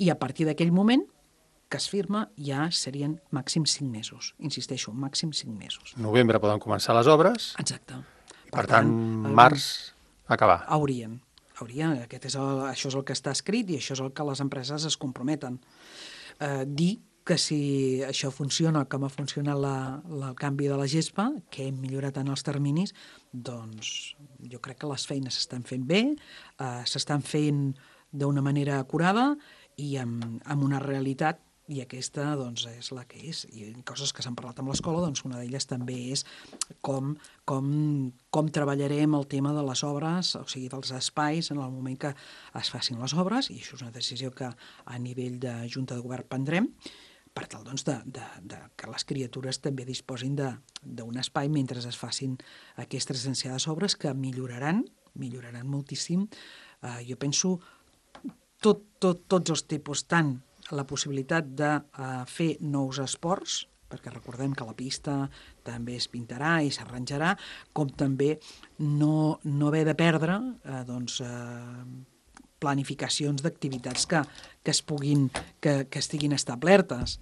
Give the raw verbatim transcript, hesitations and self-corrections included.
I a partir d'aquell moment que es firma ja serien màxim cinc mesos. Insisteixo, màxim cinc mesos. Novembre poden començar les obres. Exacte. Per, per tant, tant, març acabar. Haurien. Haurien. Aquest és el, això és el que està escrit i això és el que les empreses es comprometen. Eh, dir que si això funciona com ha funcionat la, la, el canvi de la gespa, que hem millorat en els terminis, doncs jo crec que les feines s'estan fent bé, eh, s'estan fent d'una manera acurada i amb, amb una realitat, i aquesta doncs, és la que és. I coses que s'han parlat amb l'escola, doncs una d'elles també és com, com, com treballarem el tema de les obres, o sigui, dels espais en el moment que es facin les obres, i això és una decisió que a nivell de Junta de Govern prendrem, per tal doncs, de, de, de que les criatures també disposin d'un espai mentre es facin aquestes essenciades obres que milloraran, milloraran moltíssim. Eh, jo penso tot, tot, tots els tipus, tant la possibilitat de uh, fer nous esports, perquè recordem que la pista també es pintarà i s'arranjarà, com també no, no haver de perdre eh, doncs, eh, planificacions d'activitats que, que, es puguin, que, que estiguin establertes.